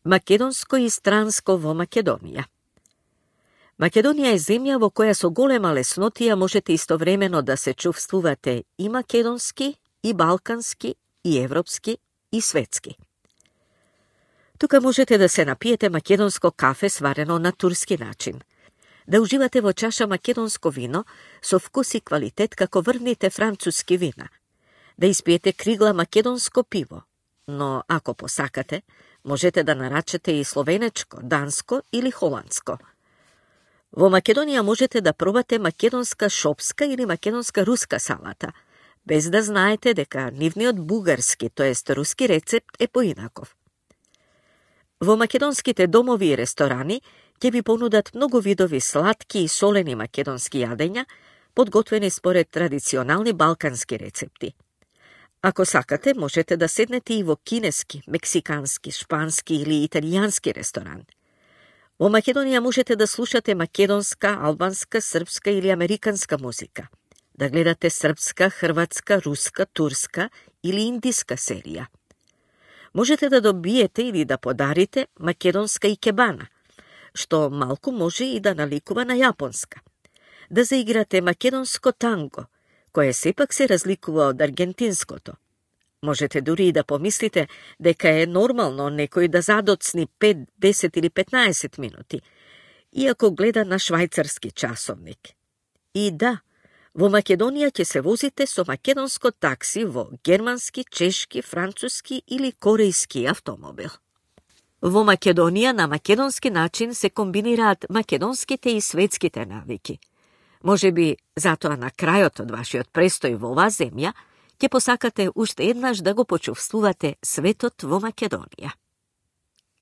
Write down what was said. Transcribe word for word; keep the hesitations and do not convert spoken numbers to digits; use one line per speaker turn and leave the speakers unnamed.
Македонско и странско во Македонија. Македонија е земја во која со голема леснотија можете истовремено да се чувствувате и македонски, и балкански, и европски, и светски. Тука можете да се напиете македонско кафе сварено на турски начин, да уживате во чаша македонско вино со вкус и квалитет како врвните француски вина, да испиете кригла македонско пиво, но ако посакате, можете да нарачате и словенечко, данско или холандско. Во Македонија можете да пробате македонска шопска или македонска руска салата, без да знаете дека нивниот бугарски, тоест руски рецепт е поинаков. Во македонските домови и ресторани ќе ви понудат многу видови сладки и солени македонски јадења, подготвени според традиционални балкански рецепти. Ако сакате, можете да седнете и во кинески, мексикански, шпански или италијански ресторан. Во Македонија можете да слушате македонска, албанска, српска или американска музика, да гледате српска, хрватска, руска, турска или индиска серија. Можете да добиете или да подарите македонска икебана, што малку може и да наликува на јапонска. Да заиграте македонско танго, кое сепак се разликува од аргентинското. Можете дури и да помислите дека е нормално некој да задоцни пет, десет или петнаесет минути, иако гледа на швајцарски часовник. И да, во Македонија ќе се возите со македонско такси во германски, чешки, француски или корејски автомобил. Во Македонија на македонски начин се комбинираат македонските и светските навики. Може би затоа на крајот од вашиот престој во оваа земја ќе посакате уште еднаш да го почувствувате светот во Македонија.